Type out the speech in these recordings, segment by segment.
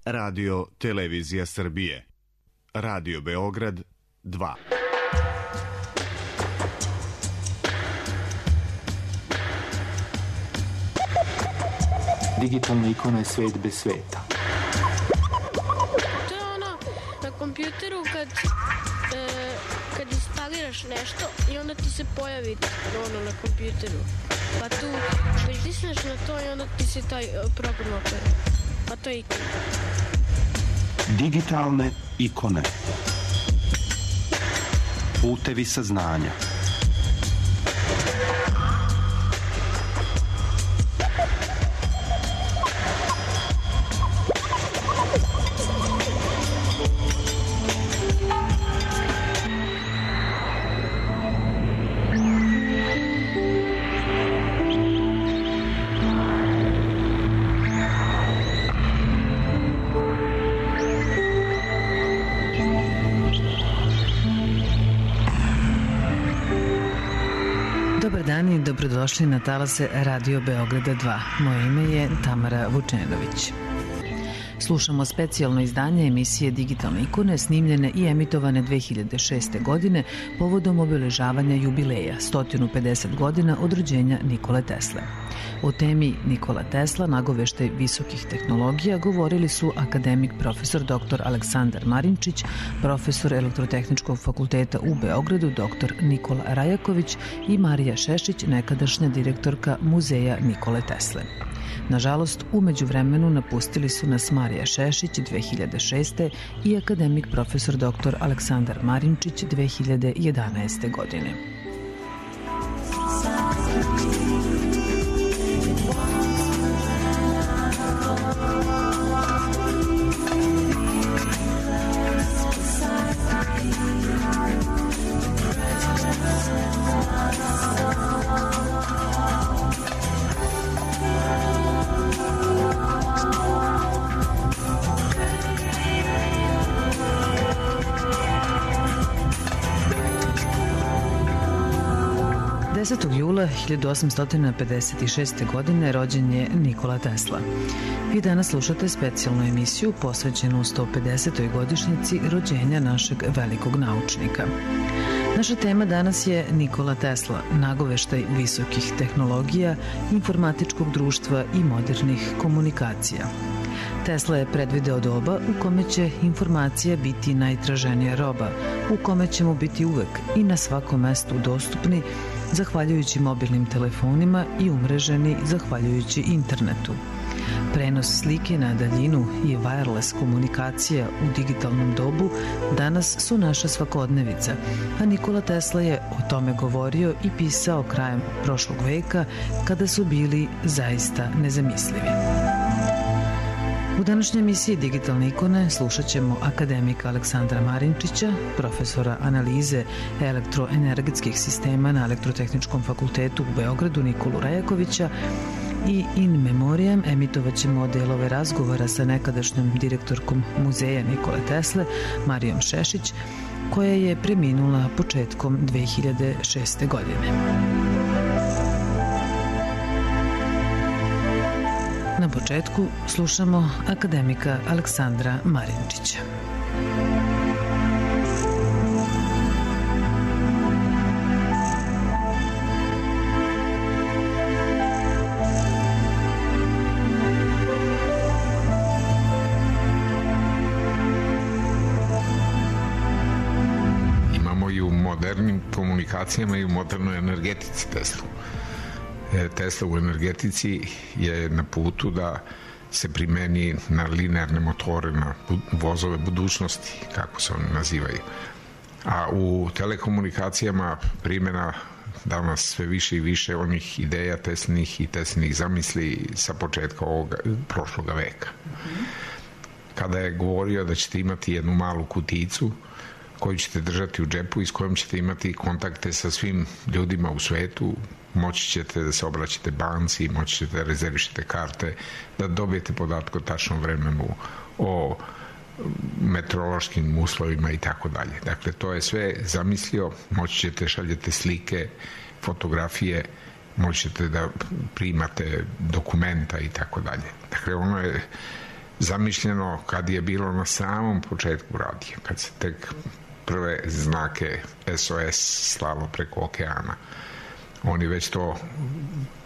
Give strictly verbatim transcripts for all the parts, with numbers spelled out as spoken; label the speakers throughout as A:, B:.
A: Radio Televizija Srbije. Radio Beograd dva.
B: Digitalna ikona je svet bez sveta.
C: To je ono na kompjuteru kad, e, kad instaliraš nešto i onda ti se pojavi ono na kompjuteru. Pa tu pritisneš na to i onda ti se taj program otvori. Pa to je ikona.
B: Digitalne ikone. Putevi saznanja.
D: Dobar dan i dobrodošli na talase Radio Beograda dva. Moje ime je Tamara Vučenović. Slušamo specijalno izdanje emisije Digitalne ikone snimljene i emitovane dve hiljade šeste. godine povodom obeležavanja jubileja sto pedeset godina od rođenja Nikole Tesle. O temi Nikola Tesla, nagoveštaj visokih tehnologija, govorili su akademik profesor dr Aleksandar Marinčić, profesor Elektrotehničkog fakulteta u Beogradu dr Nikola Rajaković i Marija Šešić, nekadašnja direktorka Muzeja Nikole Tesle. Nažalost, umeđu vremenu napustili su nas Marija Šešić dve hiljade šeste. i akademik profesor dr Aleksandar Marinčić dve hiljade jedanaeste. godine. desetog jula hiljadu osamsto pedeset šeste. godine rođen je Nikola Tesla. Vi danas slušate specijalnu emisiju posvećenu sto pedesetoj godišnjici rođenja našeg velikog naučnika. Naša tema danas je Nikola Tesla, nagoveštaj visokih tehnologija, informatičkog društva i modernih komunikacija. Tesla je predvideo doba u kome će informacija biti najtraženija roba, u kome ćemo biti uvek i na svakom mestu dostupni zahvaljujući mobilnim telefonima i umreženi zahvaljujući internetu. Prenos slike na daljinu i wireless komunikacija u digitalnom dobu danas su naša svakodnevica, a Nikola Tesla je o tome govorio i pisao krajem prošlog veka kada su bili zaista nezamislivi. U današnjoj emisiji Digitalne ikone slušat ćemo akademika Aleksandra Marinčića, profesora analize elektroenergetskih sistema na Elektrotehničkom fakultetu u Beogradu Nikolu Rajakovića i in memoriam emitovat ćemo delove razgovora sa nekadašnjom direktorkom Muzeja Nikole Tesle, Marijom Šešić, koja je preminula početkom dve hiljade šeste. godine. Na početku slušamo akademika Aleksandra Marinčića.
E: Imamo i u modernim komunikacijama i u modernoj energetici Teslu. Tesla u energetici je na putu da se primeni na linearne motore, na vozove budućnosti, kako se oni nazivaju. A u telekomunikacijama primjena danas sve više i više onih ideja Teslinih i Teslinih zamisli sa početka ovog prošloga veka. Kada je govorio da ćete imati jednu malu kuticu koju ćete držati u džepu i s kojom ćete imati kontakte sa svim ljudima u svetu, moći ćete da se obraćate banci, moći ćete da rezervišete karte, da dobijete podatke o tačnom vremenu, o meteorološkim uslovima i tako dalje. Dakle, to je sve zamislio, moći ćete šaljete slike, fotografije, moći ćete da primate dokumenta i tako dalje. Dakle, ono je zamišljeno kad je bilo na samom početku radija, kad se tek prve znake S O S slalo preko okeana. On je već to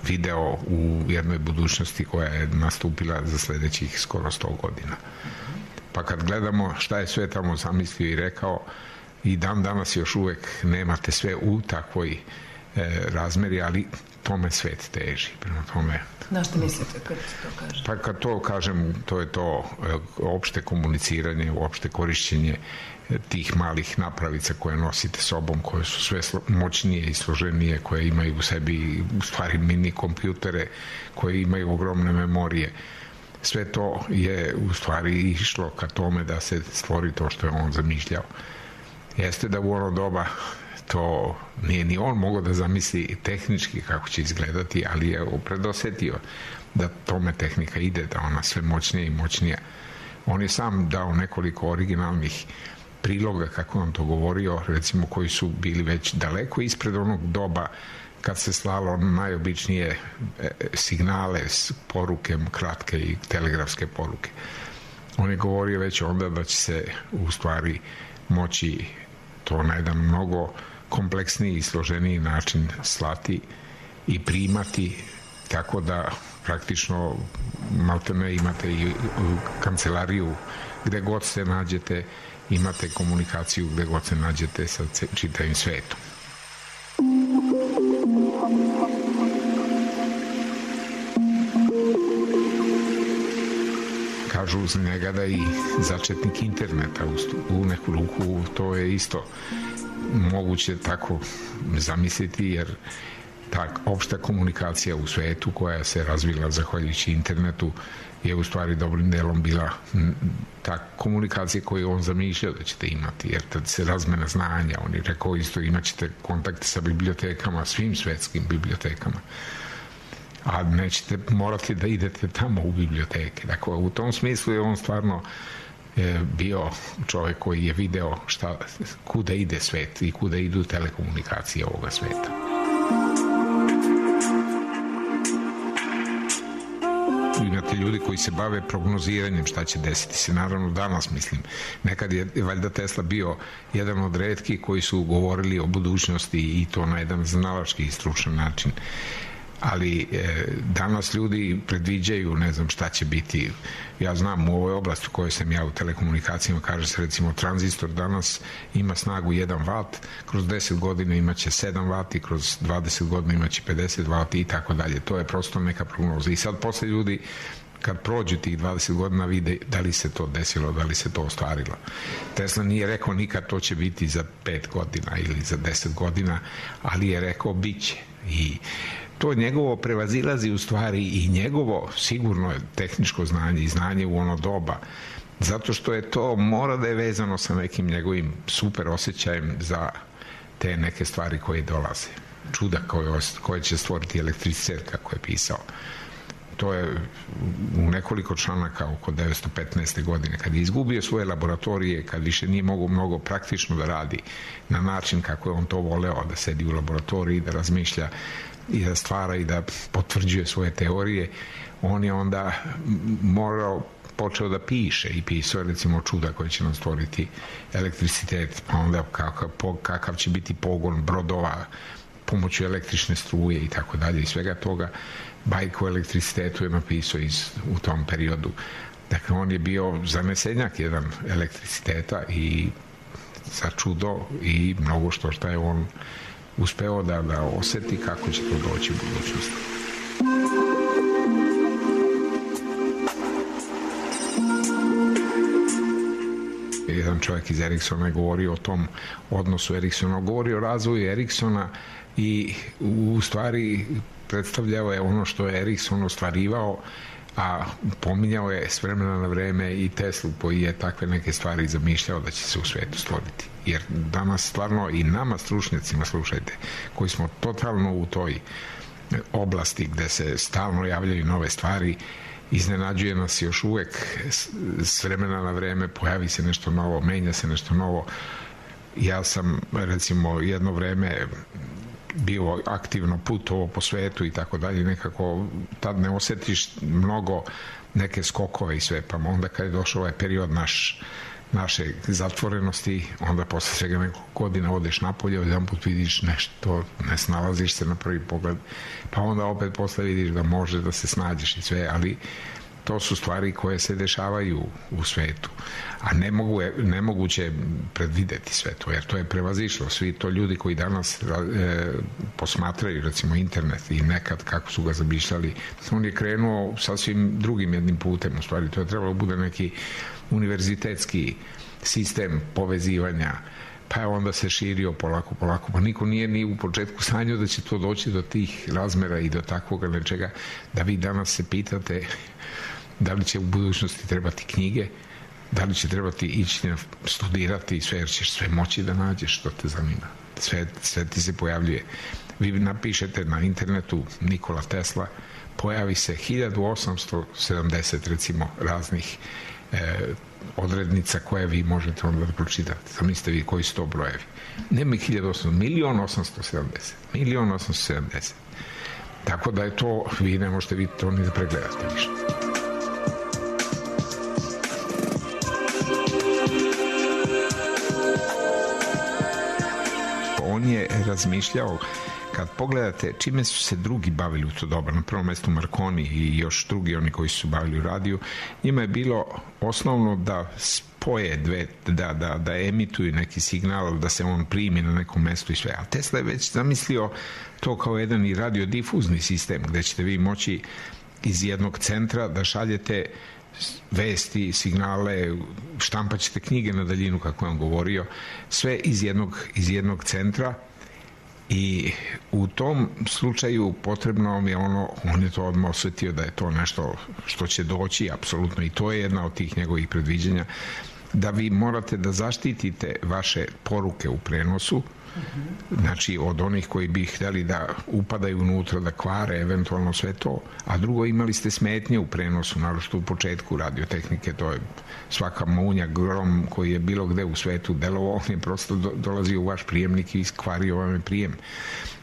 E: video u jednoj budućnosti koja je nastupila za sledećih skoro sto godina. Pa kad gledamo šta je sve tamo zamislio i rekao, i dan danas još uvek nemate sve u takvoj e, razmeri, ali tome svet teži. Prema tome...
D: Na što mislite kad to kažete?
E: Pa kad to kažem, to je to e, opšte komuniciranje, opšte korišćenje tih malih napravica koje nosite sobom, koje su sve moćnije i složenije, koje imaju u sebi u stvari mini kompjutere, koje imaju ogromne memorije. Sve to je u stvari išlo ka tome da se stvori to što je on zamišljao. Jeste da u ono doba to nije ni on mogao da zamisli tehnički kako će izgledati, ali je predosetio da tome tehnika ide, da ona sve moćnije i moćnije. On je sam dao nekoliko originalnih priloga, kako on to govorio, recimo koji su bili već daleko ispred onog doba kad se slalo najobičnije signale, poruke, kratke i telegrafske poruke. On je govorio već onda da će se u stvari moći to na jedan mnogo kompleksniji i složeniji način slati i primati, tako da praktično maltene imate i kancelariju gde god se nađete, imate komunikaciju gde god se nađete sa čitavim svetom. Kažu za njega da i začetnik interneta u neku ruku, to je isto moguće tako zamisliti, jer ta opšta komunikacija u svetu koja se razvila zahvaljujući internetu je u stvari dobrim delom bila ta komunikacija koju on zamišljao da ćete imati, jer tad se razmena znanja, on je rekao isto imat ćete kontakte sa bibliotekama, svim svetskim bibliotekama, a nećete morati da idete tamo u biblioteke. Dakle, u tom smislu je on stvarno e, bio čovjek koji je video šta, kuda ide svet i kuda idu telekomunikacije ovoga sveta. Imate ljudi koji se bave prognoziranjem šta će desiti se, naravno danas mislim. Nekad je valjda Tesla bio jedan od retkih koji su govorili o budućnosti i to na jedan znalački i stručan način. Ali e, danas ljudi predviđaju, ne znam šta će biti. Ja znam u ovoj oblasti u kojoj sam ja u telekomunikacijama, kaže se recimo tranzistor danas ima snagu jedan vat, kroz deset godina imaće sedam vati, kroz dvadeset godina imaće pedeset vati i tako dalje. To je prosto neka prognoza. I sad posle ljudi kad prođu tih dvadeset godina vide da li se to desilo, da li se to ostvarilo. Tesla nije rekao nikad to će biti za pet godina ili za deset godina, ali je rekao bit će. I to njegovo prevazilazi u stvari i njegovo sigurno tehničko znanje i znanje u ono doba, zato što je to mora da je vezano sa nekim njegovim super osjećajem za te neke stvari koje dolaze. Čuda koje, koje će stvoriti elektricitet, kako je pisao. To je u nekoliko članaka oko devetsto petnaeste. godine, kad je izgubio svoje laboratorije, kad više nije mogo mnogo praktično da radi na način kako je on to voleo, da sedi u laboratoriji, da razmišlja i da stvara i da potvrđuje svoje teorije, on je onda morao, počeo da piše i pisao recimo čuda koje će nam stvoriti elektricitet, pa onda kakav, kakav će biti pogon brodova pomoću električne struje i tako dalje i svega toga. Bajku o elektricitetu je napisao iz, u tom periodu. Dakle, on je bio zanesenjak jedan elektriciteta i za čudo i mnogo što šta je on uspeo da, da oseti kako će to doći u budućnosti. Jedan čovjek iz Ericssona je govorio o tom odnosu Ericssona, govorio o razvoju Ericssona i u stvari predstavljao je ono što je Ericsson ostvarivao, a pominjao je s vremena na vreme i Teslu koji je takve neke stvari zamišljao da će se u svetu stvoriti. Jer danas stvarno i nama stručnjacima, slušajte, koji smo totalno u toj oblasti gde se stalno javljaju nove stvari, iznenađuje nas još uvek s vremena na vreme, pojavi se nešto novo, menja se nešto novo. Ja sam recimo jedno vreme bio aktivno putovao po svetu i tako dalje, nekako tad ne osjetiš mnogo neke skokove i sve, pa onda kad je došao ovaj period naš naše zatvorenosti, onda posle svega nekog godina odeš napolje, jedan put vidiš nešto, ne snalaziš se na prvi pogled, pa onda opet posle vidiš da može da se snađeš i sve, ali to su stvari koje se dešavaju u svetu, a ne mogu, nemoguće predvideti sve to, jer to je prevazišlo. Svi to ljudi koji danas e, posmatraju, recimo, internet i nekad kako su ga zamišljali, on je krenuo sasvim drugim jednim putem, u stvari to je trebalo bude neki univerzitetski sistem povezivanja, pa je onda se širio polako, polako, pa niko nije ni u početku sanjao da će to doći do tih razmera i do takvoga nečega, da vi danas se pitate da li će u budućnosti trebati knjige, da li će trebati ići studirati sve, jer ćeš sve moći da nađeš što te zanima. Sve, sve ti se pojavljuje. Vi napišete na internetu Nikola Tesla, pojavi se hiljadu osamsto sedamdeset recimo raznih e, odrednica koje vi možete onda da pročitate. Zamislite vi koji su to brojevi. Nema ih hiljadu osamsto, milion osamsto sedamdeset. Milion osamsto sedamdeset. Tako da je to, vi ne možete vi to ni da pregledate ništa. On je razmišljao, kad pogledate čime su se drugi bavili u to doba, na prvom mestu Marconi i još drugi oni koji su bavili u radiju, njima je bilo osnovno da spoje dve, da, da, da emituju neki signal, da se on primi na nekom mestu i sve. A Tesla je već zamislio to kao jedan i radiodifuzni sistem, gde ćete vi moći iz jednog centra da šaljete vesti, signale, štampat ćete knjige na daljinu, kako je on govorio, sve iz jednog, iz jednog centra, i u tom slučaju potrebno mi je ono, on je to odmah osjetio da je to nešto što će doći, apsolutno, i to je jedna od tih njegovih predviđanja, da vi morate da zaštitite vaše poruke u prenosu, znači od onih koji bi htjeli da upadaju unutra, da kvare eventualno sve to, a drugo, imali ste smetnje u prenosu, naročito u početku radiotehnike, to je svaka munja, grom koji je bilo gde u svetu delovao, on je prosto do, dolazio u vaš prijemnik i kvario vam je prijem.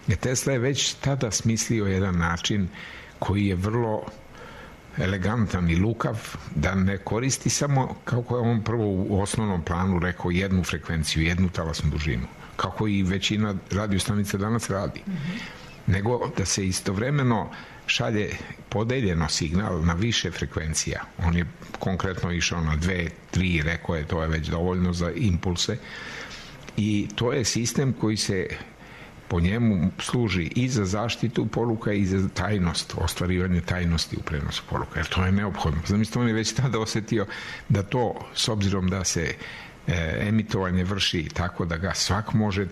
E: E, Tesla je već tada smislio jedan način koji je vrlo elegantan i lukav, da ne koristi samo, kako je on prvo u osnovnom planu rekao, jednu frekvenciju, jednu talasnu dužinu, kako i većina radiostanica danas radi, mm-hmm. nego da se istovremeno šalje podeljeno signal na više frekvencija. On je konkretno išao na dve, tri, rekao je to je već dovoljno za impulse, i to je sistem koji se po njemu služi i za zaštitu poruka i za tajnost, ostvarivanje tajnosti u prenosu poruka, jer to je neophodno. Zamislite, on je već tada osjetio da to, s obzirom da se e, emitovanje vrši tako da ga svak može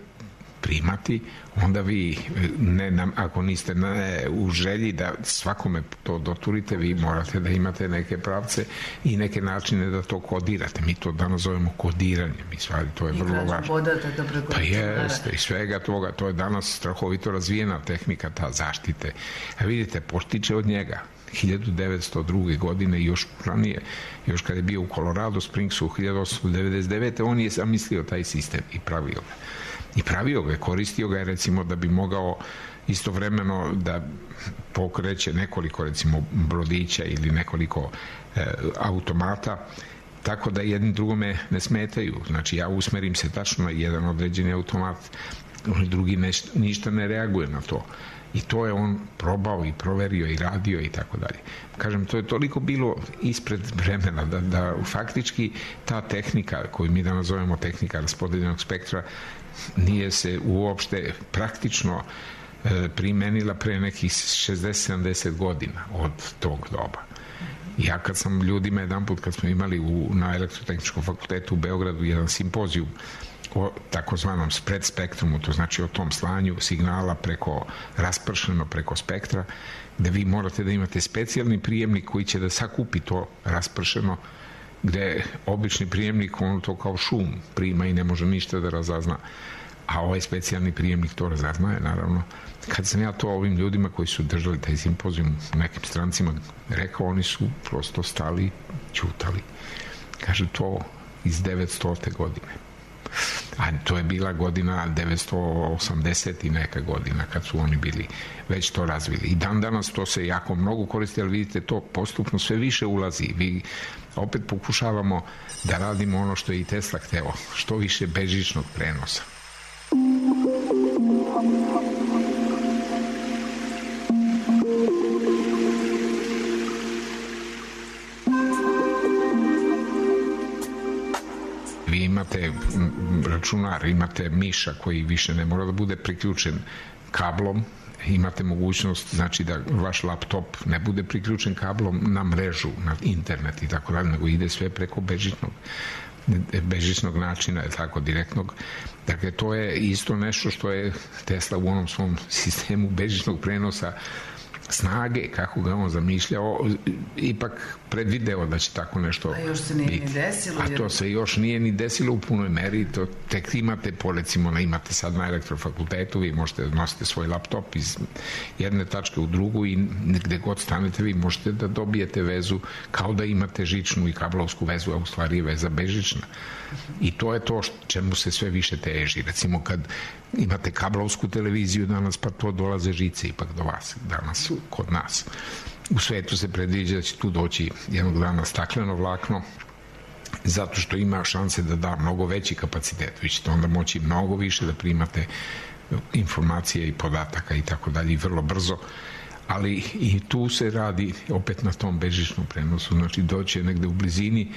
E: primati, onda vi, ne, nam, ako niste ne, u želji da svakome to doturite, vi morate da imate neke pravce i neke načine da to kodirate. Mi to danas zovemo kodiranje, mi stvari, to je I vrlo važno. Pa jeste, i svega toga, to je danas strahovito razvijena tehnika, ta zaštite. A vidite, potiče od njega hiljadu devetsto druge. godine i još ranije, još kad je bio u Colorado Springsu u hiljadu osamsto devedeset devete. on je zamislio taj sistem i pravio ga. I pravio ga, koristio ga je recimo da bi mogao istovremeno da pokreće nekoliko recimo brodića ili nekoliko e, automata, tako da jedni drugome ne smetaju. Znači ja usmerim se tačno na jedan određeni automat, drugi neš, ništa ne reaguje na to. I to je on probao i proverio i radio i tako dalje. Kažem, to je toliko bilo ispred vremena da, da faktički ta tehnika koju mi danas zovemo tehnika raspodeljenog spektra nije se uopšte praktično e, primenila pre nekih šezdeset sedamdeset godina od tog doba. Ja kad sam ljudima jedan put, kad smo imali u, na Elektrotehničkom fakultetu u Beogradu jedan simpozijum o takozvanom spread spektrumu, to znači o tom slanju signala preko, raspršeno preko spektra, gde vi morate da imate specijalni prijemnik koji će da sakupi to raspršeno, gde obični prijemnik on to kao šum prima i ne može ništa da razazna, a ovaj specijalni prijemnik to razaznaje, naravno. Kad sam ja to ovim ljudima koji su držali taj simpozijum nekim strancima rekao, oni su prosto stali, ćutali. Kaže, to iz devetstote. godine. A to je bila godina devetsto osamdeset i neka godina kad su oni bili već to razvili. I dan danas to se jako mnogo koristi, ali vidite to postupno sve više ulazi. Vi opet pokušavamo da radimo ono što je i Tesla hteo, što više bežičnog prenosa. Vi imate računar, imate miša koji više ne mora da bude priključen kablom, imate mogućnost, znači da vaš laptop ne bude priključen kablom na mrežu, na internet i tako dalje, nego ide sve preko bežičnog bežičnog načina, je tako, direktnog. Dakle, to je isto nešto što je Tesla u onom svom sistemu bežičnog prenosa snage, kako ga on zamišljao, ipak predvideo da će tako nešto biti.
D: A još se nije biti. Ni desilo.
E: A to se još nije ni desilo u punoj meri. To tek imate, po recimo, imate sad na elektrofakultetu, vi možete nositi svoj laptop iz jedne tačke u drugu i gde god stanete vi možete da dobijete vezu kao da imate žičnu i kablovsku vezu, a u stvari je veza bežična. I to je to čemu se sve više teži. Recimo kad imate kablovsku televiziju danas, pa to dolaze žice ipak do vas danas kod nas. U svetu se predviđa da će tu doći jednog dana stakleno vlakno, zato što ima šanse da da mnogo veći kapacitet. Vi ćete onda moći mnogo više da primate informacije i podataka i tako dalje, i vrlo brzo. Ali i tu se radi opet na tom bežičnom prenosu. Znači doće negde u blizini,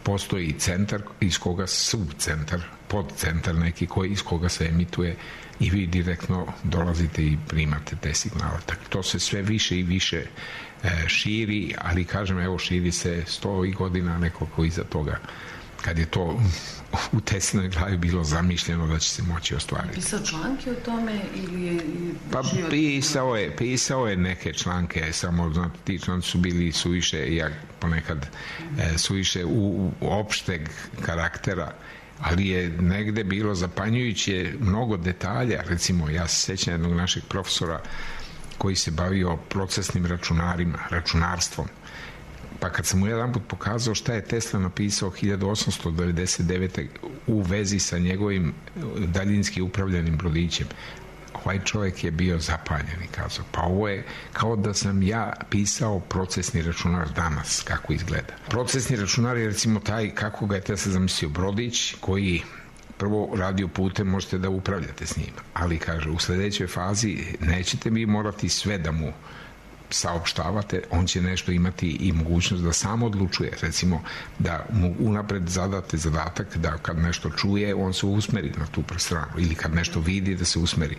E: postoji centar iz koga subcentar, podcentar neki koji iz koga se emituje i vi direktno dolazite i primate te signale. Tako, to se sve više i više e, širi, ali kažem, evo, širi se sto godina nekoliko iza toga, kad je to u Teslinoj glavi bilo zamišljeno da će se moći ostvariti.
D: Pisao članke o tome ili je...
E: Pa pisao je, pisao je neke članke, samo znate, ti članci su bili suviše, ja ponekad e, suviše u, u opšteg karaktera, ali je negde bilo zapanjujuće mnogo detalja. Recimo, ja se sećam jednog našeg profesora koji se bavio procesnim računarima, računarstvom. Pa kad sam mu jedan put pokazao šta je Tesla napisao hiljadu osamsto devedeset devete u vezi sa njegovim daljinski upravljanim brodićem, ovaj čovjek je bio zapanjen i kazao, pa ovo je kao da sam ja pisao procesni računar danas, kako izgleda. Procesni računar je recimo taj, kako ga je Tesla zamislio, brodić koji prvo radio putem, možete da upravljate s njim, ali kaže, u sledećoj fazi nećete vi morati sve da mu saopštavate, on će nešto imati i mogućnost da sam odlučuje, recimo da mu unapred zadate zadatak da kad nešto čuje, on se usmeri na tu stranu, ili kad nešto vidi da se usmeri.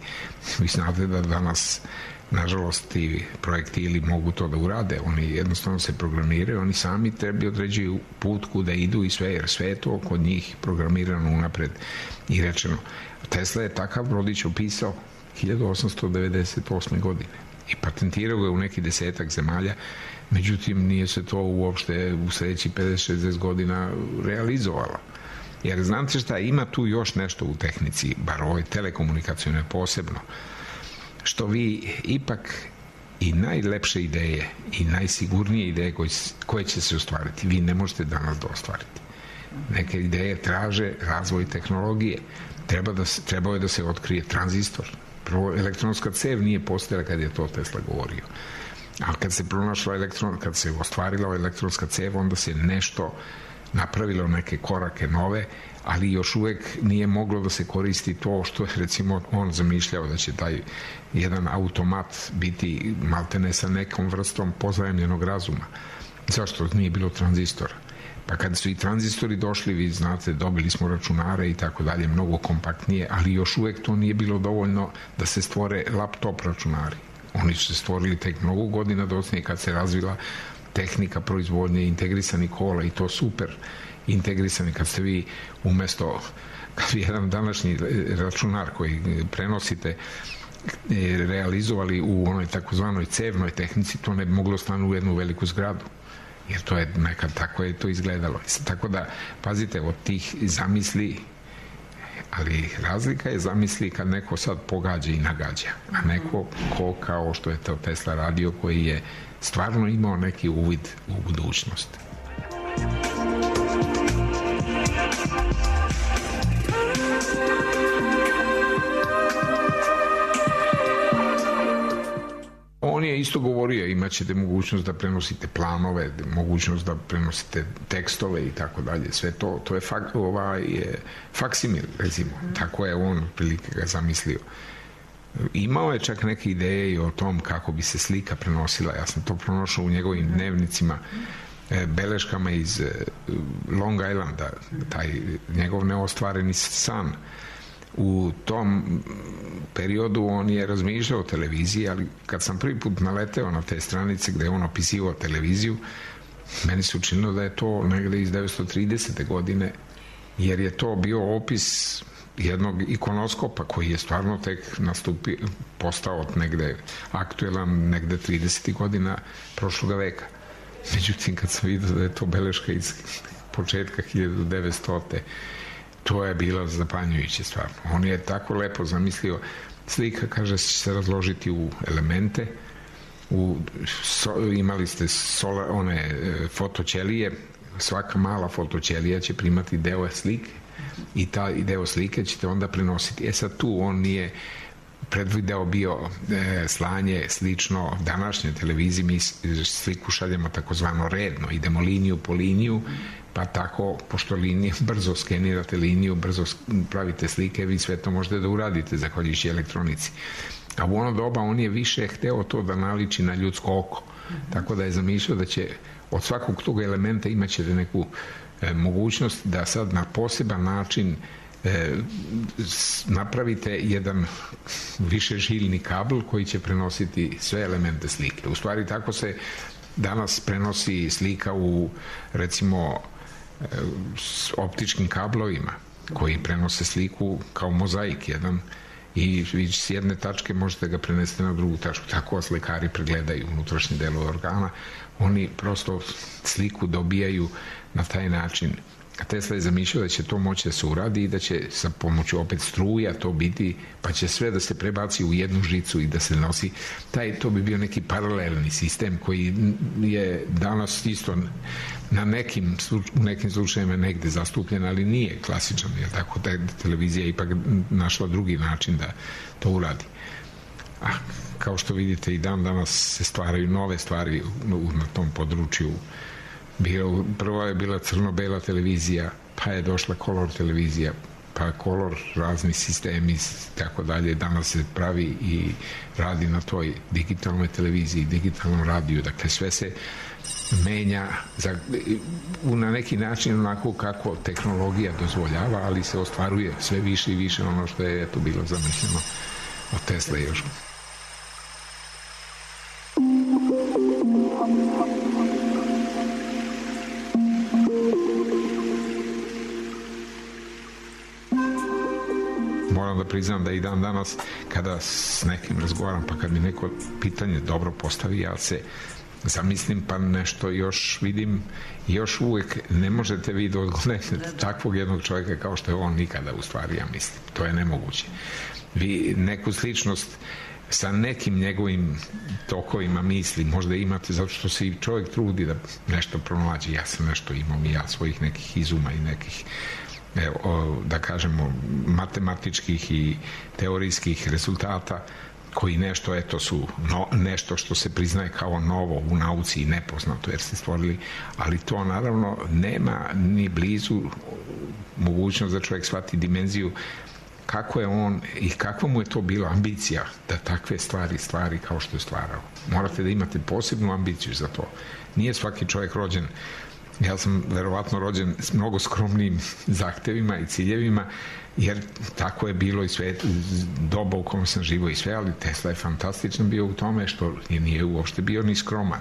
E: Vi znate da danas nažalost ti projektili mogu to da urade, oni jednostavno se programiraju, oni sami tebi određuju put kuda idu i sve, jer sve je to kod njih programirano unapred i rečeno. Tesla je takav brodić opisao hiljadu osamsto devedeset osme godine i patentirao ga u neki desetak zemalja, međutim nije se to uopšte u sledećih pedeset šezdeset godina realizovalo. Jer znate šta, ima tu još nešto u tehnici, bar ovoj telekomunikacijone posebno, što vi ipak i najlepše ideje i najsigurnije ideje koje, koje će se ostvariti, vi ne možete danas da ostvariti. Neke ideje traže razvoj tehnologije. Treba da se, trebao je da se otkrije tranzistor. Prvo, elektronska cev nije postojala kad je to Tesla govorio. A kad se pronašla elektron, kad se ostvarila elektronska cev, onda se nešto napravilo, neke korake nove, ali još uvek nije moglo da se koristi to što je recimo on zamišljao da će taj jedan automat biti maltene sa nekom vrstom pozajemljenog razuma. Zašto nije bilo tranzistora? Pa kad su i tranzistori došli, vi znate, dobili smo računare i tako dalje, mnogo kompaktnije, ali još uvek to nije bilo dovoljno da se stvore laptop računari. Oni su se stvorili tek mnogo godina dosljednije kad se razvila tehnika proizvodnje integrisanih kola i to super integrisani, kad ste vi umesto, kad vi jedan današnji računar koji prenosite realizovali u onoj takozvanoj cevnoj tehnici, to ne bi moglo stanu u jednu veliku zgradu. Jer to je nekad tako je to izgledalo. Tako da, pazite, od tih zamisli, ali razlika je zamisli kad neko sad pogađa i nagađa, a neko ko kao što je to Tesla radio, koji je stvarno imao neki uvid u budućnost. bio, imat ćete mogućnost da prenosite planove, mogućnost da prenosite tekstove i tako dalje. Sve to, to je, fak, ovaj, je faksimil, recimo. Tako je on prilike ga zamislio. Imao je čak neke ideje i o tom kako bi se slika prenosila. Ja sam to pronošao u njegovim dnevnicima, beleškama iz Long Islanda, taj njegov neostvareni san. U tom periodu on je razmišljao o televiziji, ali kad sam prvi put naleteo na te stranice gde je on opisivao televiziju, meni se učinilo da je to negde iz devetsto tridesete godine, jer je to bio opis jednog ikonoskopa koji je stvarno tek nastupio, postao negde aktuelan, negde tridesetih godina prošlog veka. Međutim, kad sam vidio da je to beleška iz početka hiljadu devetstote. To je bilo zapanjujuće stvarno. On je tako lepo zamislio. Slika, kaže, će se razložiti u elemente. U, so, imali ste sola, one e, fotoćelije. Svaka mala fotoćelija će primati deo slike i taj deo slike ćete onda prenositi. E sad tu on nije predvideo bio e, slanje slično današnje televiziji. Mi sliku šaljemo takozvano redno. Idemo liniju po liniju, pa tako, pošto linije, brzo skenirate liniju, brzo pravite slike, vi sve to možete da uradite zahvaljujući elektronici. A u ono doba on je više hteo to da naliči na ljudsko oko. Tako da je zamišljao da će od svakog tog elementa imat ćete neku e, mogućnost da sad na poseban način e, napravite jedan višežiljni kabl koji će prenositi sve elemente slike. U stvari tako se danas prenosi slika u, recimo, s optičkim kablovima koji prenose sliku kao mozaik jedan i vi s jedne tačke možete ga prenesti na drugu tačku. Tako slikari pregledaju unutrašnje delove organa. Oni prosto sliku dobijaju na taj način. A Tesla je zamišljao da će to moći da se uradi i da će sa pomoću opet struja to biti, pa će sve da se prebaci u jednu žicu i da se nosi. Taj, to bi bio neki paralelni sistem koji je danas isto na nekim, u nekim slučajima negde zastupljen, ali nije klasičan, jer tako da televizija je ipak našla drugi način da to uradi. A kao što vidite i dan danas se stvaraju nove stvari na tom području. Bio, prvo je bila crno-bela televizija, pa je došla kolor televizija, pa kolor, razni sistemi, tako dalje. Danas se pravi i radi na toj digitalnoj televiziji, digitalnom radiju. Dakle, sve se menja za, na neki način onako kako tehnologija dozvoljava, ali se ostvaruje sve više i više ono što je eto bilo zamišljeno od Tesla još. Moram da priznam da i dan danas kada s nekim razgovaram, pa kad mi neko pitanje dobro postavi, ja se zamislim pa nešto još vidim, još uvek ne možete vi da odgovorite takvog jednog čovjeka kao što je on nikada, u stvari, ja mislim. To je nemoguće. Vi neku sličnost sa nekim njegovim tokovima misli možda imate, zato što se i čovjek trudi da nešto pronađe. Ja sam nešto imao i ja svojih nekih izuma i nekih, evo, da kažemo, matematičkih i teorijskih rezultata koji nešto, eto, su no, nešto što se priznaje kao novo u nauci i nepoznato jer ste stvorili, ali to naravno nema ni blizu mogućnost da čovjek shvati dimenziju kako je on i kakva mu je to bila ambicija da takve stvari stvari kao što je stvarao. Morate da imate posebnu ambiciju za to. Nije svaki čovjek rođen, ja sam verovatno rođen s mnogo skromnim zahtevima i ciljevima, jer tako je bilo i sve doba u kom sam živo i sve, ali Tesla je fantastičan bio u tome što nije uopšte bio ni skroman,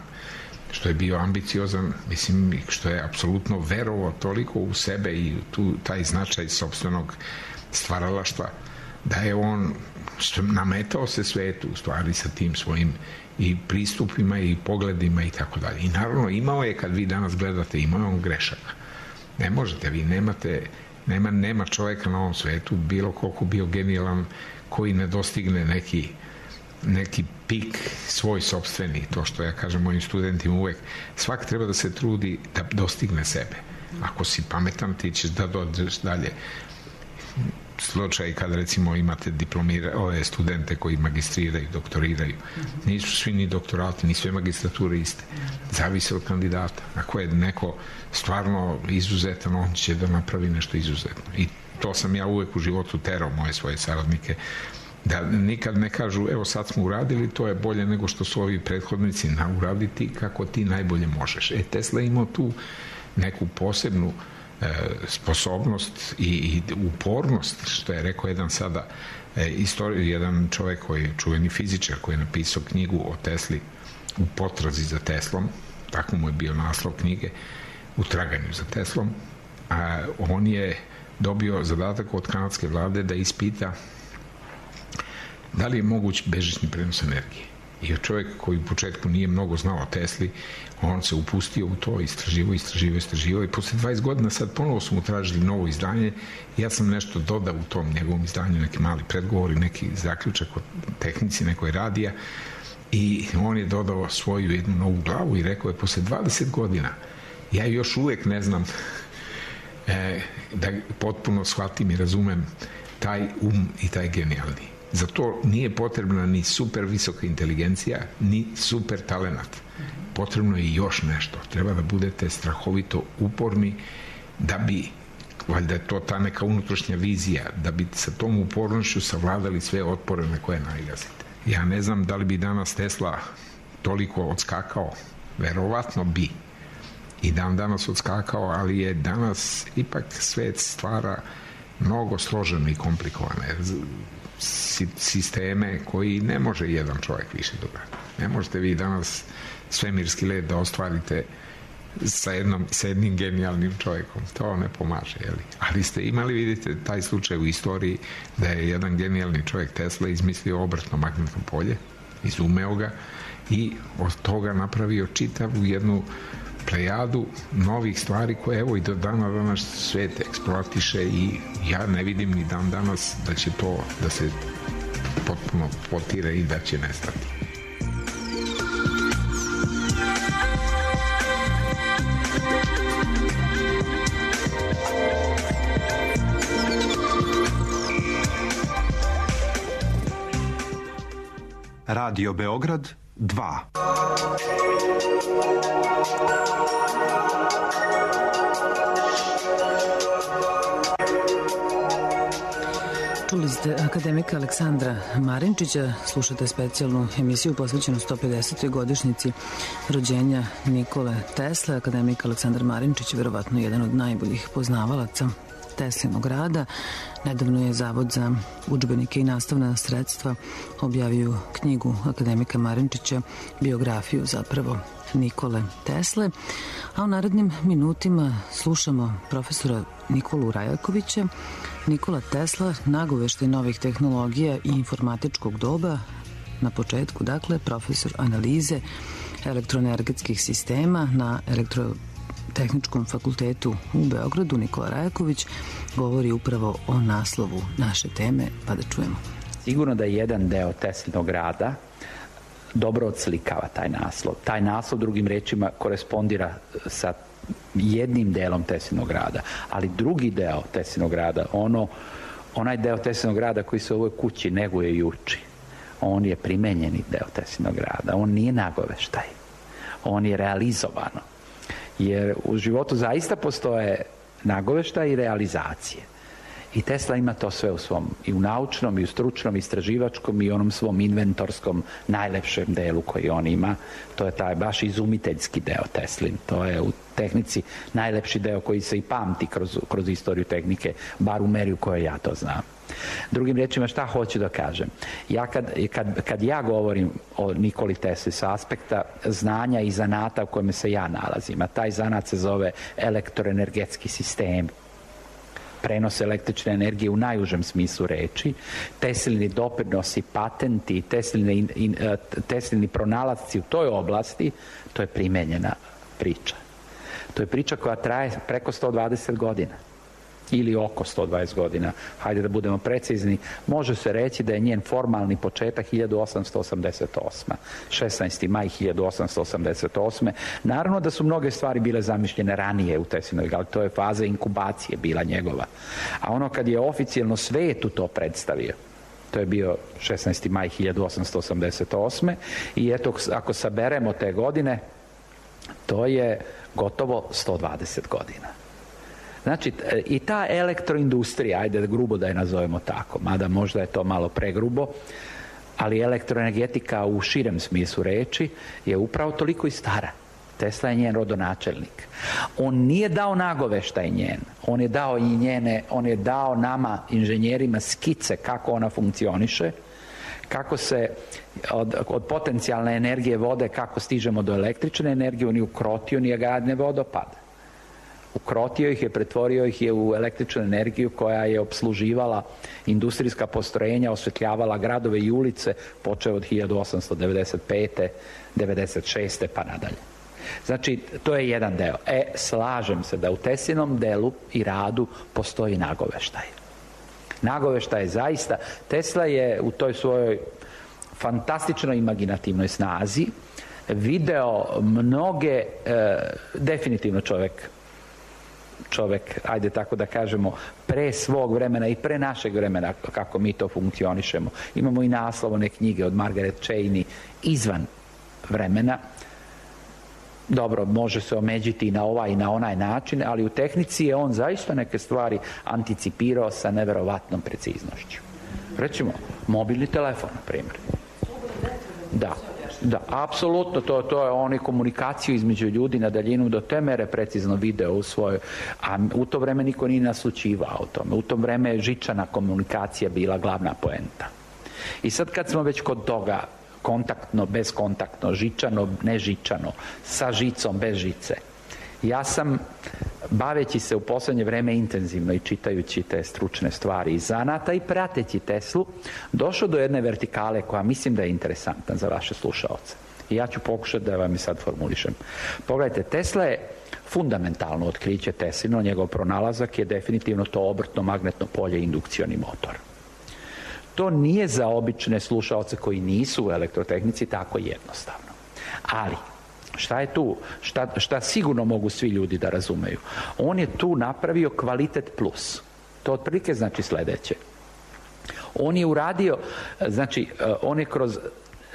E: što je bio ambiciozan, mislim, što je apsolutno verovao toliko u sebe i tu taj značaj sopstvenog stvaralaštva, da je on nametao se svetu u stvari sa tim svojim i pristupima i pogledima i tako dalje. I naravno imao je, kad vi danas gledate, imao je on grešaka. Ne možete, vi nemate, nema, nema čovjeka na ovom svetu, bilo koliko bio genijalan, koji ne dostigne neki, neki pik svoj sopstveni, to što ja kažem mojim studentima uvek. Svak treba da se trudi da dostigne sebe. Ako si pametan, ti ćeš da dođeš dalje. slučaj kada recimo imate diplomire, ove studente koji magistriraju, doktoriraju. Nisu svi ni doktorati, ni sve magistrature iste. Zavise od kandidata. Ako je neko stvarno izuzetan, on će da napravi nešto izuzetno. I to sam ja uvek u životu terao moje svoje saradnike, da nikad ne kažu evo sad smo uradili, to je bolje nego što su ovi prethodnici, na uraditi kako ti najbolje možeš. E, Tesla imao tu neku posebnu e, sposobnost i, i upornost, što je rekao jedan sada e, istorij, jedan čovjek koji je čuveni fizičar koji je napisao knjigu o Tesli U potrazi za Teslom, tako mu je bio naslov knjige, U traganju za Teslom, a on je dobio zadatak od kanadske vlade da ispita da li je moguć bežični prenos energije. I čovjek koji u početku nije mnogo znao o Tesli, on se upustio u to, istraživo, istraživo, istraživo i posle dvadeset godina sad ponovo su mu tražili novo izdanje. Ja sam nešto dodao u tom njegovom izdanju, neki mali predgovor i neki zaključak o tehnici nekoj radija i on je dodao svoju jednu novu glavu i rekao je posle dvadeset godina ja još uvek ne znam e, da potpuno shvatim i razumem taj um i taj genijalni. Za to nije potrebna ni super visoka inteligencija, ni super talenat. Potrebno je još nešto. Treba da budete strahovito uporni da bi, valjda je to ta neka unutrašnja vizija, da bi sa tom upornošću savladali sve otpore na koje nailazite. Ja ne znam da li bi danas Tesla toliko odskakao, verovatno bi. I dan danas odskakao, ali je danas ipak svet stvara mnogo složeno i komplikovane sisteme koji ne može jedan čovjek više dograditi. Ne možete vi danas svemirski let da ostvarite sa, jednom, sa jednim genijalnim čovjekom. To ne pomaže, jeli? Ali ste imali, vidite, taj slučaj u istoriji da je jedan genijalni čovjek Tesla izmislio obrtno magnetno polje, izumeo ga i od toga napravio čitavu jednu plejadu novih stvari koje evo i do dana danas svet eksploatiše i ja ne vidim ni dan danas da će to da se potpuno potire i da će nestati.
B: Radio Beograd dva.
D: Čuli ste akademika Aleksandra Marinčića, slušate specijalnu emisiju posvećenu sto pedesetoj godišnjici rođenja Nikole Tesle. Akademik Aleksandar Marinčić je verovatno jedan od najboljih poznavalaca Teslinog rada. Nedavno je Zavod za udžbenike i nastavna sredstva objavio knjigu akademika Marinčića, biografiju zapravo Nikole Tesle, a u narednim minutima slušamo profesora Nikolu Rajakovića. Nikola Tesla, nagoveštaj novih tehnologija i informatičkog doba, na početku, dakle, profesor analize elektroenergetskih sistema na Elektrotehničkom fakultetu u Beogradu. Nikola Rajaković govori upravo o naslovu naše teme, pa da čujemo.
F: Sigurno da je jedan deo Teslinog rada dobro odslikava taj naslov. Taj naslov, drugim rečima, korespondira sa jednim delom Teslinog rada, ali drugi deo Teslinog rada, ono, onaj deo Teslinog rada koji se u ovoj kući neguje i uči, on je primenjeni deo Teslinog rada, on nije nagoveštaj, on je realizovano. Jer u životu zaista postoje nagoveštaj i realizacije. I Tesla ima to sve u svom, i u naučnom, i u stručnom, istraživačkom, i onom svom inventorskom najlepšem delu koji on ima. To je taj baš izumiteljski deo Teslin. To je u tehnici najlepši deo koji se i pamti kroz, kroz istoriju tehnike, bar u meri u kojoj ja to znam. Drugim rečima, šta hoću da kažem? Ja kad, kad, kad ja govorim o Nikoli Tesli sa aspekta znanja i zanata u kojem se ja nalazim, a taj zanat se zove elektroenergetski sistem, prenos električne energije u najužem smislu reči, Teslini doprinosi, patenti, Teslini, in, in, Teslini pronalasci u toj oblasti, to je primenjena priča. To je priča koja traje preko sto dvadeset godina. ili oko sto dvadeset godina, hajde da budemo precizni, može se reći da je njen formalni početak hiljadu osamsto osamdeset osma. šesnaesti maj hiljadu osamsto osamdeset osme. Naravno da su mnoge stvari bile zamišljene ranije u Teslinoj, ali to je faza inkubacije bila njegova. A ono kad je oficijalno svetu to predstavio, to je bio šesnaesti maj hiljadu osamsto osamdeset osme. I eto, ako saberemo te godine, to je gotovo sto dvadeset godina. Znači, i ta elektroindustrija, ajde grubo da je nazovemo tako, mada možda je to malo pregrubo, ali elektroenergetika u širem smislu reči je upravo toliko i stara. Tesla je njen rodonačelnik. On nije dao nagoveštaj njen, on je dao i njene, on je dao nama, inženjerima, skice kako ona funkcioniše, kako se od, od potencijalne energije vode, kako stižemo do električne energije, on je ukrotio nijagarne vodopade. Ukrotio ih je, pretvorio ih je u električnu energiju koja je opsluživala industrijska postrojenja, osvetljavala gradove i ulice, počeo od hiljadu osamsto devedeset pete. devedeset šeste pa nadalje. Znači, to je jedan deo. E, slažem se da u Teslinom delu i radu postoji nagoveštaj. Nagoveštaj je zaista, Tesla je u toj svojoj fantastičnoj imaginativnoj snazi video mnoge, e, definitivno čovjek čovjek, ajde tako da kažemo, pre svog vremena i pre našeg vremena, kako mi to funkcionišemo. Imamo i naslovne knjige od Margaret Cheney izvan vremena. Dobro, može se omeđiti i na ovaj i na onaj način, ali u tehnici je on zaista neke stvari anticipirao sa neverovatnom preciznošću. Recimo, mobilni telefon, na primjer. Da. Da, apsolutno, to, to je oni komunikaciju između ljudi na daljinu do te mere precizno video u svojoj, a u to vreme niko nije naslućivao o tome. U to vreme je žičana komunikacija bila glavna poenta. I sad kad smo već kod toga, kontaktno, bezkontaktno, žičano, nežičano, sa žicom, bez žice, ja sam, baveći se u posljednje vreme intenzivno i čitajući te stručne stvari iz zanata i prateći Teslu, došao do jedne vertikale koja mislim da je interesantna za vaše slušaoce. I ja ću pokušati da vam je sad formulišem. Pogledajte, Tesla je fundamentalno otkriće Teslino, njegov pronalazak je definitivno to obrtno magnetno polje, indukcioni motor. To nije za obične slušaoce koji nisu u elektrotehnici tako jednostavno. Ali šta je tu? Šta, šta sigurno mogu svi ljudi da razumeju? On je tu napravio kvalitet plus. To otprilike znači sljedeće. On je uradio, znači, on je kroz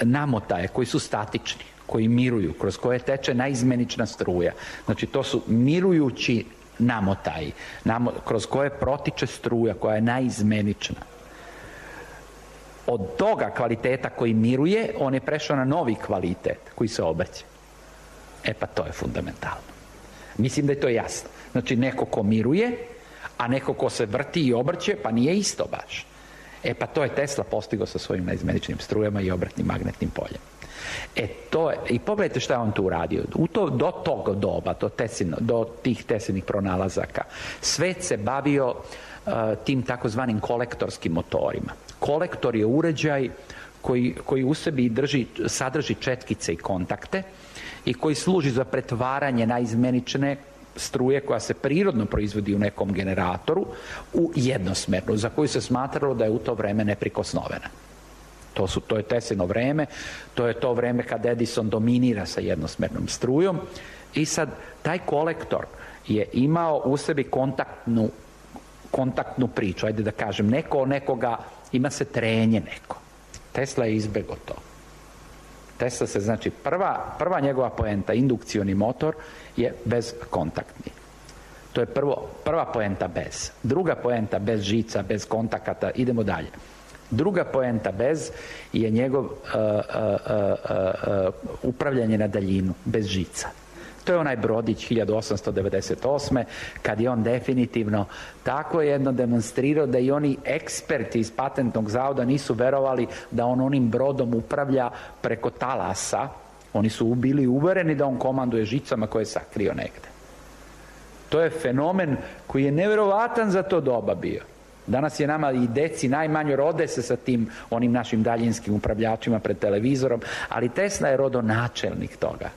F: namotaje koji su statični, koji miruju, kroz koje teče naizmenična struja. Znači, to su mirujući namotaji, namo, kroz koje protiče struja koja je naizmenična. Od toga kvaliteta koji miruje, on je prešao na novi kvalitet koji se obrće. E pa to je fundamentalno. Mislim da je to jasno. Znači neko ko miruje, a neko ko se vrti i obrće, pa nije isto baš. E pa to je Tesla postigao sa svojim naizmeničnim strujama i obratnim magnetnim poljem. E to je, i pogledajte šta je on tu uradio. U to, do tog doba, do, tesino, do tih Teslinih pronalazaka, svet se bavio uh, tim takozvanim kolektorskim motorima. Kolektor je uređaj koji, koji u sebi drži, sadrži četkice i kontakte i koji služi za pretvaranje naizmenične struje koja se prirodno proizvodi u nekom generatoru u jednosmernu, za koju se smatralo da je u to vreme neprikosnovena. To, su, to je Teslino vreme, to je to vreme kad Edison dominira sa jednosmernom strujom i sad taj kolektor je imao u sebi kontaktnu, kontaktnu priču, ajde da kažem, neko nekoga, ima se trenje neko. Tesla je izbjegao to. Tesla se, znači, prva, prva njegova poenta, indukcioni motor, je bezkontaktni. To je prvo, prva poenta bez. Druga poenta bez žica, bez kontakata, idemo dalje. Druga poenta bez je njegov uh, uh, uh, uh, upravljanje na daljinu, bez žica. To je onaj brodić hiljadu osamsto devedeset osme kad je on definitivno tako jedno demonstrirao da i oni eksperti iz patentnog zavoda nisu verovali da on onim brodom upravlja preko talasa. Oni su bili uvereni da on komanduje žicama koje je sakrio negde. To je fenomen koji je neverovatan za to doba bio. Danas je nama i deci najmanje rode se sa tim onim našim daljinskim upravljačima pred televizorom, ali Tesla je rodonačelnik toga.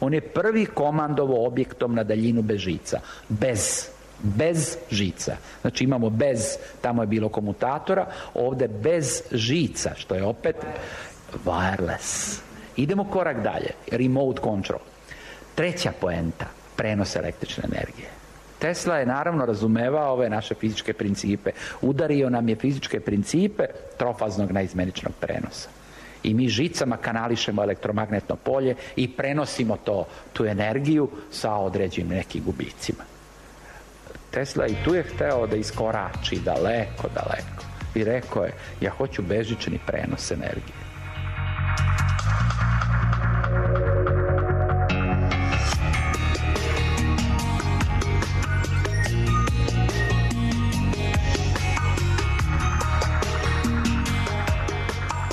F: On je prvi komandovo objektom na daljinu bez žica. Bez. bez žica. Znači imamo bez, tamo je bilo komutatora, ovdje bez žica, što je opet wireless. Idemo korak dalje, remote control. Treća poenta, prenos električne energije. Tesla je naravno razumevao ove naše fizičke principe. Udario nam je fizičke principe trofaznog naizmjeničnog prenosa. I mi žicama kanališemo elektromagnetno polje i prenosimo to, tu energiju sa određenim nekim gubicima. Tesla i tu je hteo da iskorači daleko, daleko. I rekao je, ja hoću bežični prenos energije.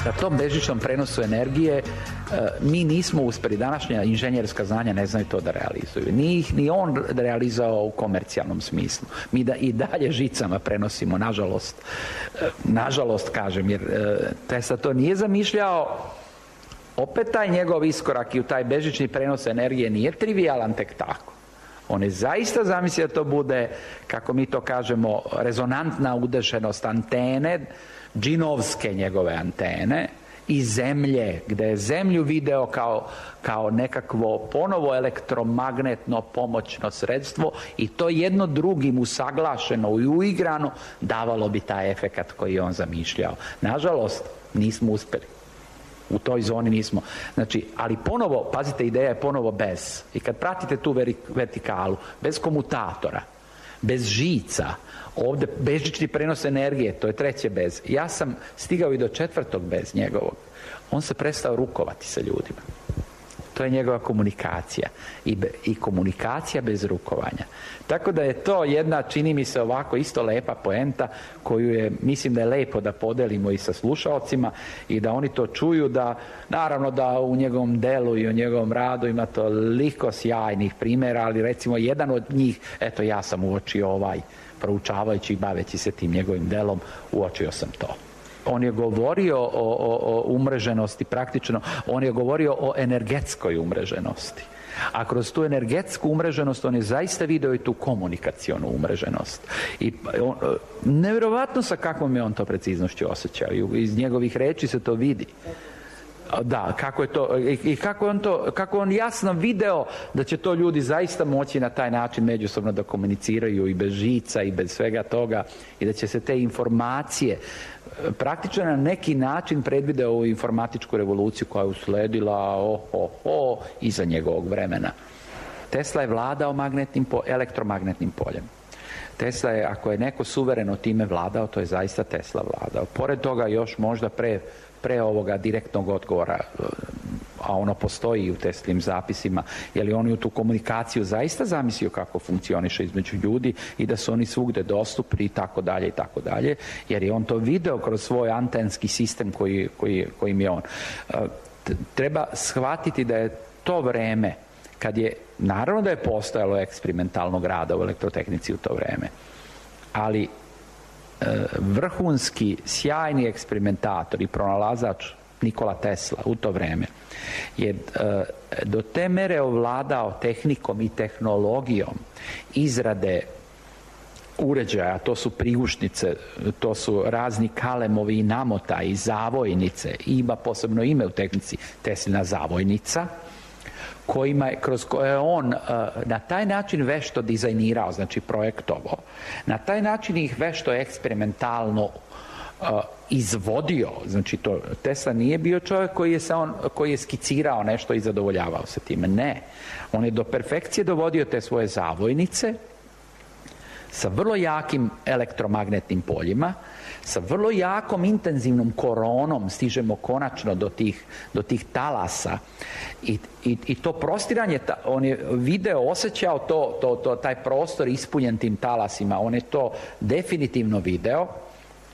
F: Na tom bežičnom prenosu energije mi nismo uspjeli, današnja inženjerska znanja ne znaju to da realizuju. Nije ih ni on realizao u komercijalnom smislu. Mi da i dalje žicama prenosimo, nažalost, nažalost kažem, jer Tesla to nije zamišljao. Opet taj njegov iskorak i u taj bežični prenos energije nije trivialan tek tako. On je zaista zamislio da to bude, kako mi to kažemo, rezonantna udešenost antene, džinovske njegove antene i zemlje, gdje je zemlju video kao, kao nekakvo ponovo elektromagnetno pomoćno sredstvo i to jedno drugim usaglašeno i uigrano davalo bi taj efekat koji je on zamišljao. Nažalost, nismo uspjeli. U toj zoni nismo. Znači, ali ponovo, pazite, ideja je ponovo bez. I kad pratite tu vertikalu, bez komutatora, bez žica, ovdje bežični prenos energije, to je treće bez. Ja sam stigao i do četvrtog bez njegovog. On se prestao rukovati sa ljudima. To je njegova komunikacija. I, be, i komunikacija bez rukovanja. Tako da je to jedna, čini mi se ovako, isto lepa poenta koju je, mislim da je lepo da podelimo i sa slušalcima i da oni to čuju, da naravno da u njegovom delu i u njegovom radu ima toliko sjajnih primjera, ali recimo jedan od njih, eto ja sam uočio ovaj, proučavajući i baveći se tim njegovim delom, uočio sam to. On je govorio o, o, o umreženosti, praktično, on je govorio o energetskoj umreženosti. A kroz tu energetsku umreženost on je zaista vidio i tu komunikacionu umreženost. I on, nevjerovatno sa kakvom je on to preciznošću osjećao. I iz njegovih reči se to vidi. Da, kako je to, i kako on to, kako on jasno video da će to ljudi zaista moći na taj način međusobno da komuniciraju i bez žica i bez svega toga i da će se te informacije praktično na neki način predvideo ovu informatičku revoluciju koja je usledila oh, oh, oh, iza njegovog vremena. Tesla je vladao magnetnim po, elektromagnetnim poljem. Tesla je, ako je neko suvereno time vladao, to je zaista Tesla vladao. Pored toga još možda pre pre ovoga direktnog odgovora, a ono postoji u Teslinim zapisima, je li on u tu komunikaciju zaista zamislio kako funkcioniše između ljudi i da su oni svugde dostupni i tako dalje i tako dalje, jer je on to video kroz svoj antenski sistem koji, koji, kojim je on. Treba shvatiti da je to vreme, kad je, naravno da je postojalo eksperimentalnog rada u elektrotehnici u to vreme, ali vrhunski, sjajni eksperimentator i pronalazač Nikola Tesla u to vreme je do te mere ovladao tehnikom i tehnologijom izrade uređaja, to su prigušnice, to su razni kalemovi i namotaji, zavojnice, ima posebno ime u tehnici Teslina zavojnica, kojima je, kroz koje je on uh, na taj način vešto dizajnirao, znači projektovo, na taj način ih vešto eksperimentalno uh, izvodio, znači to, Tesla nije bio čovjek koji je, se on, koji je skicirao nešto i zadovoljavao se time, ne. On je do perfekcije dovodio te svoje zavojnice sa vrlo jakim elektromagnetnim poljima, sa vrlo jakom intenzivnom koronom stižemo konačno do tih, do tih talasa i, i, i to prostiranje, on je video, osjećao to, to, to, taj prostor ispunjen tim talasima, on je to definitivno video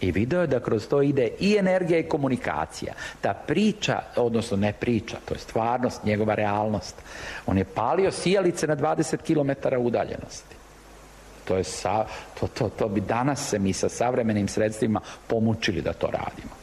F: i video je da kroz to ide i energija i komunikacija. Ta priča, odnosno ne priča, to je stvarnost, njegova realnost. On je palio sijalice na dvadeset kilometara udaljenosti. To, je sa, to, to, to bi danas se mi sa savremenim sredstvima pomučili da to radimo.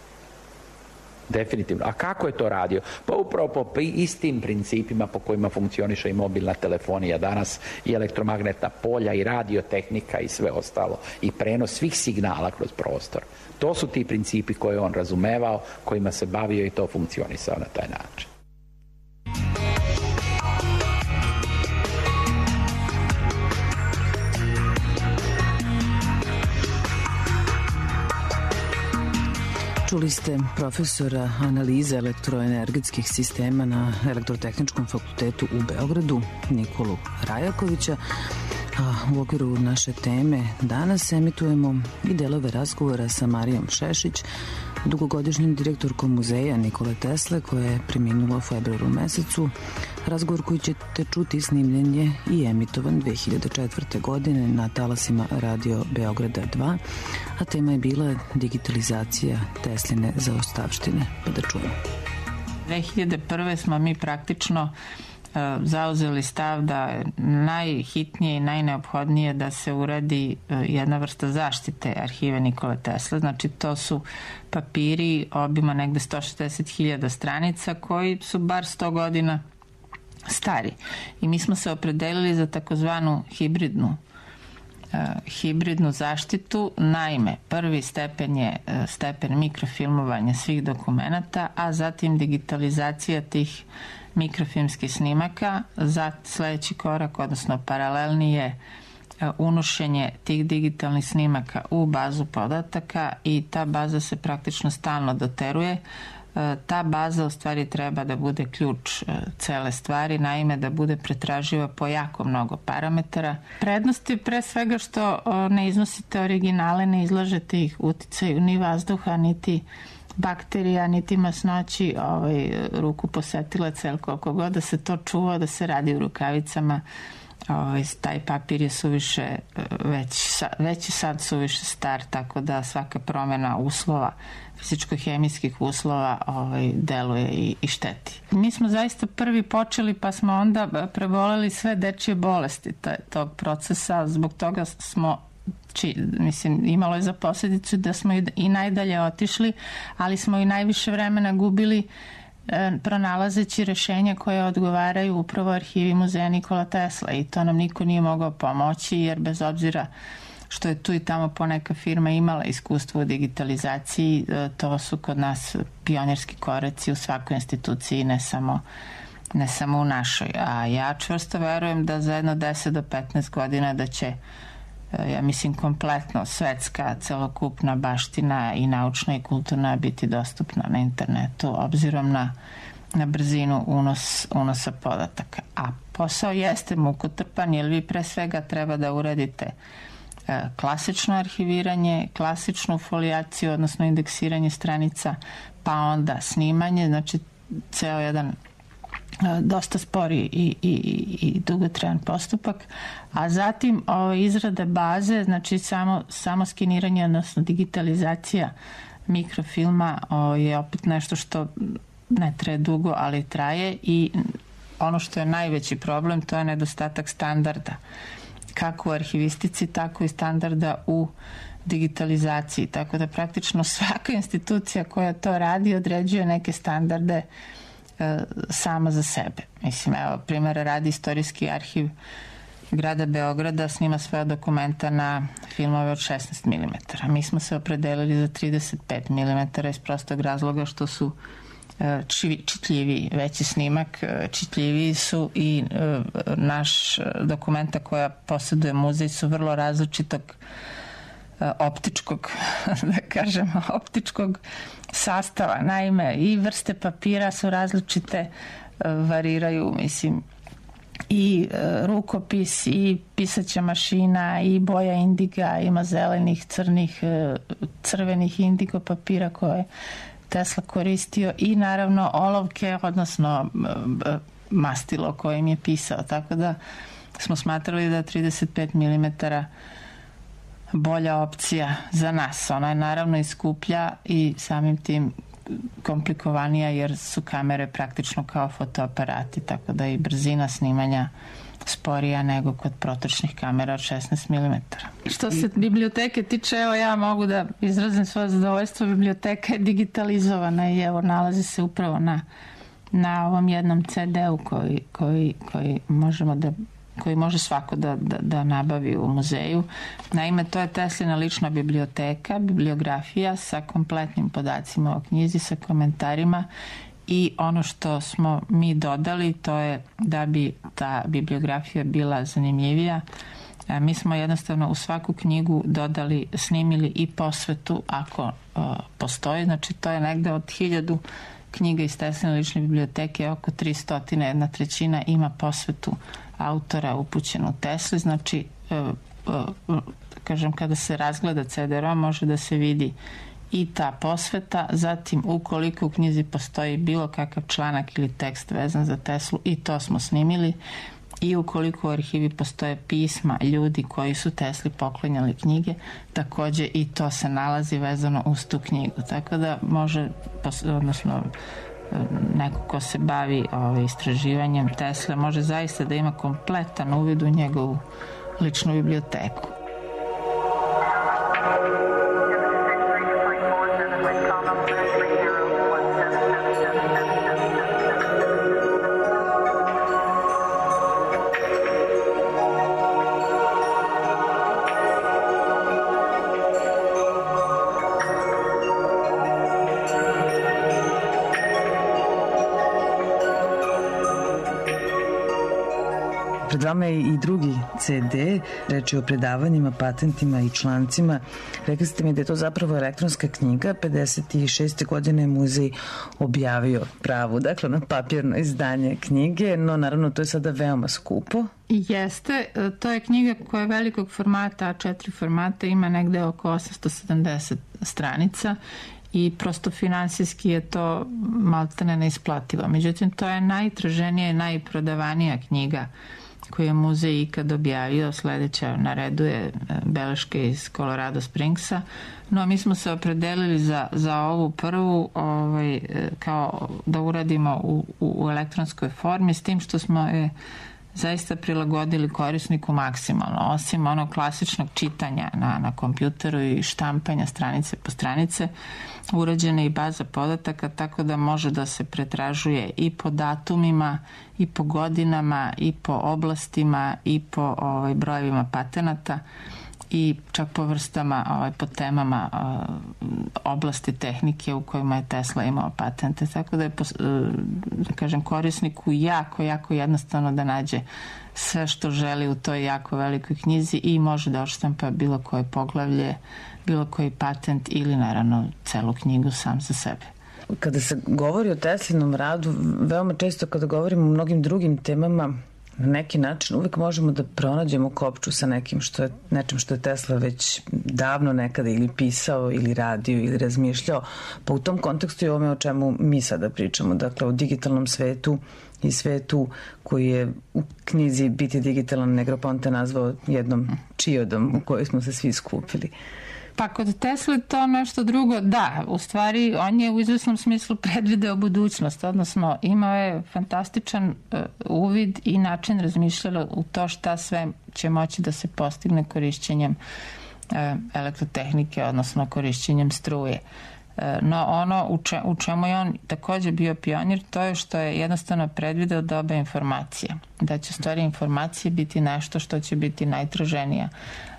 F: Definitivno. A kako je to radio? Pa upravo po istim principima po kojima funkcioniše i mobilna telefonija danas, i elektromagnetna polja, i radiotehnika i sve ostalo, i prenos svih signala kroz prostor. To su ti principi koje on razumevao, kojima se bavio i to funkcionisao na taj način.
D: Čuli ste profesora analize elektroenergetskih sistema na Elektrotehničkom fakultetu u Beogradu, Nikolu Rajakovića. A u okviru naše teme danas emitujemo i delove razgovora sa Marijom Šešić, dugogodišnjim direktorkom muzeja Nikole Tesle, koja je preminula u februaru mesecu. Razgovor koji ćete čuti snimljen je i emitovan dve hiljade četvrte. godine na talasima Radio Beograda dva, a tema je bila digitalizacija Tesline zaostavštine. Pa da čujemo.
G: dve hiljade prve. smo mi praktično zauzeli stav da je najhitnije i najneophodnije da se uradi jedna vrsta zaštite arhive Nikole Tesle. Znači to su papiri obima negde sto šezdeset hiljada stranica koji su bar sto godina stari. I mi smo se opredelili za takozvanu hibridnu hibridnu zaštitu. Naime, prvi stepen je stepen mikrofilmovanja svih dokumenata, a zatim digitalizacija tih mikrofilmskih snimaka. Za sledeći korak, odnosno paralelni, je unošenje tih digitalnih snimaka u bazu podataka i ta baza se praktično stalno doteruje. Ta baza u stvari treba da bude ključ cele stvari, naime da bude pretraživa po jako mnogo parametara. Prednost je pre svega što ne iznosite originale, ne izlažete ih uticaju ni vazduha, niti bakterija, niti masnoći, ovaj, ruku posetilaca, ili koliko god da se to čuva, da se radi u rukavicama, ovaj, taj papir je suviše već, već je sad suviše star, tako da svaka promena uslova, fizičko-hemijskih uslova, ovaj, deluje i, i šteti. Mi smo zaista prvi počeli, pa smo onda preboleli sve dečije bolesti taj, tog procesa, zbog toga smo Či, mislim, imalo je za posljedicu da smo i, i najdalje otišli, ali smo i najviše vremena gubili e, pronalazeći rešenja koje odgovaraju upravo arhivi muzeja Nikola Tesla, i to nam niko nije mogao pomoći, jer bez obzira što je tu i tamo poneka firma imala iskustvo u digitalizaciji, e, to su kod nas pionirski koraci u svakoj instituciji, ne samo ne samo u našoj. A ja čvrsto verujem da za jedno deset do petnaest godina da će, ja mislim, kompletno svetska celokupna baština i naučna i kulturna biti dostupna na internetu, obzirom na, na brzinu unos, unosa podataka. A posao jeste mukotrpan, jer vi pre svega treba da uradite e, klasično arhiviranje, klasičnu folijaciju, odnosno indeksiranje stranica, pa onda snimanje, znači ceo jedan dosta spori i, i, i dugotrajan postupak, a zatim o, izrada baze, znači samo, samo skeniranje, odnosno digitalizacija mikrofilma o, je opet nešto što ne traje dugo, ali traje, i ono što je najveći problem, to je nedostatak standarda, kako u arhivistici, tako i standarda u digitalizaciji, tako da praktično svaka institucija koja to radi određuje neke standarde sama za sebe. Mislim, evo, primjera radi Istorijski arhiv grada Beograda snima svoja dokumenta na filmove od šesnaest milimetara. Mi smo se opredelili za trideset pet milimetara iz prostog razloga što su čitljiviji, veći snimak, čitljiviji su, i naš dokumenta koja posjeduje muzej su vrlo različitog optičkog, da kažemo, optičkog sastava. Naime, i vrste papira su različite, variraju, mislim, i rukopis, i pisaća mašina, i boja indiga, ima zelenih, crnih, crvenih indigo papira koje Tesla koristio, i naravno olovke, odnosno mastilo kojim je pisao. Tako da smo smatrali da trideset pet milimetara bolja opcija za nas. Ona je naravno i skuplja i samim tim komplikovanija jer su kamere praktično kao fotoaparati, tako da i brzina snimanja sporija nego kod protočnih kamera od šesnaest milimetara. Što se biblioteke tiče, evo ja mogu da izrazim svoje zadovoljstvo, biblioteka je digitalizovana i evo nalazi se upravo na, na ovom jednom ce de-u koji, koji, koji možemo da koji može svako da, da, da nabavi u muzeju. Naime, to je Teslina lična biblioteka, bibliografija sa kompletnim podacima o knjizi, sa komentarima i ono što smo mi dodali to je da bi ta bibliografija bila zanimljivija. Mi smo jednostavno u svaku knjigu dodali, snimili i posvetu ako o, postoji. Znači to je negde od hiljadu knjiga iz Tesline lične biblioteke, oko tristo, jedna trećina ima posvetu autora upućenu Tesli. Znači, e, e, kažem, kada se razgleda ce de rom može da se vidi i ta posveta, zatim ukoliko u knjizi postoji bilo kakav članak ili tekst vezan za Teslu, i to smo snimili, i ukoliko u arhivi postoje pisma ljudi koji su Tesli poklanjali knjige, takođe i to se nalazi vezano uz tu knjigu. Tako da može, odnosno neko ko se bavi ovaj, istraživanjem Tesle može zaista da ima kompletan uvid u njegovu ličnu biblioteku.
D: Pred vama je i drugi ce de, reč je o predavanjima, patentima i člancima. Rekli ste mi da je to zapravo elektronska knjiga. pedeset šeste godine je muzej objavio pravu, dakle na papirno izdanje knjige, no naravno to je sada veoma skupo.
G: Jeste, to je knjiga koja je velikog formata, a četiri formata, ima negde oko osamsto sedamdeset stranica i prosto finansijski je to maltene neisplativo. Međutim, to je najtraženija i najprodavanija knjiga koju je muzej ikad objavio. Sledeća na redu je beleške iz Colorado Springsa, no mi smo se opredelili za, za ovu prvu ovaj, kao da uradimo u, u elektronskoj formi, s tim što smo je zaista prilagodili korisniku maksimalno. Osim onog klasičnog čitanja na, na kompjuteru i štampanja stranice po stranice, urađena i baza podataka, tako da može da se pretražuje i po datumima, i po godinama, i po oblastima, i po ovaj, brojevima patenata, i čak po vrstama, ovaj, po temama oblasti tehnike u kojima je Tesla imao patente. Tako da je, da kažem, korisniku jako, jako jednostavno da nađe sve što želi u toj jako velikoj knjizi i može da odštampa bilo koje poglavlje, bilo koji patent ili naravno celu knjigu sam za sebe.
D: Kada se govori o Teslinom radu, veoma često kada govorimo o mnogim drugim temama, na neki način uvek možemo da pronađemo kopču sa nekim što je, nečem što je Tesla već davno nekada ili pisao ili radio ili razmišljao. Pa u tom kontekstu je ovome o čemu mi sada pričamo, dakle o digitalnom svetu i svetu koji je u knjizi Biti digitalan Negroponte nazvao jednom čiodom u kojoj smo se svi skupili.
G: Pa kod Tesla to nešto drugo, da, u stvari on je u izvesnom smislu predvideo budućnost, odnosno imao je fantastičan uh, uvid i način razmišljala u to šta sve će moći da se postigne korišćenjem uh, elektrotehnike, odnosno korišćenjem struje. Uh, no ono u, če, u čemu je on takođe bio pionir, to je što je jednostavno predvideo doba informacija, da će stvari informacije biti nešto što će biti najtraženija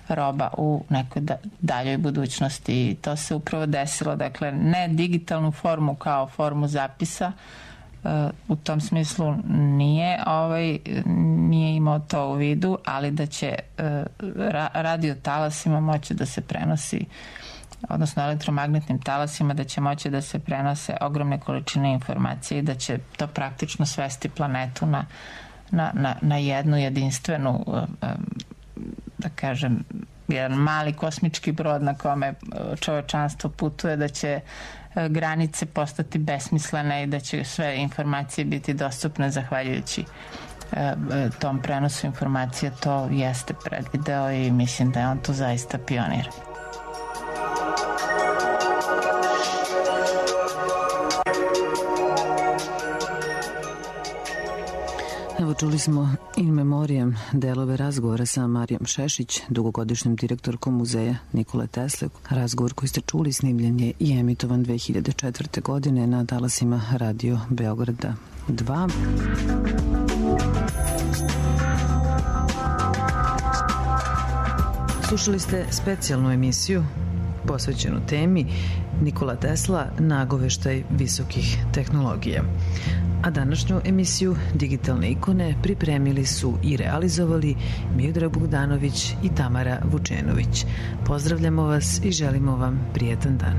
G: roba u nekoj daljoj budućnosti i to se upravo desilo. Dakle, ne digitalnu formu kao formu zapisa, u tom smislu nije, ovaj, nije imao to u vidu, ali da će radio talasima moći da se prenosi, odnosno elektromagnetnim talasima, da će moći da se prenose ogromne količine informacije i da će to praktično svesti planetu na, na, na, na jednu jedinstvenu, da kažem, jedan mali kosmički brod na kome čovečanstvo putuje, da će granice postati besmislene i da će sve informacije biti dostupne zahvaljujući tom prenosu informacija. To jeste predvideo i mislim da je on tu zaista pionir.
D: Evo, čuli smo in memoriam delove razgovora sa Marijom Šešić, dugogodišnjom direktorkom muzeja Nikole Tesle. Razgovor koji ste čuli snimljen je i emitovan dve hiljade četvrte. godine na talasima Radio Beograda dva. Slušali ste specijalnu emisiju posvećenu temi Nikola Tesla, nagoveštaj visokih tehnologija. A današnju emisiju Digitalne ikone pripremili su i realizovali Miodrag Bogdanović i Tamara Vučenović. Pozdravljamo vas i želimo vam prijetan dan.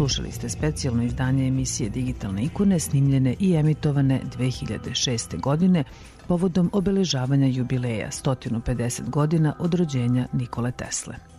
D: Slušali ste specijalno izdanje emisije Digitalne ikone snimljene i emitovane dve hiljade šeste. godine povodom obeležavanja jubileja sto pedeset godina od rođenja Nikole Tesle.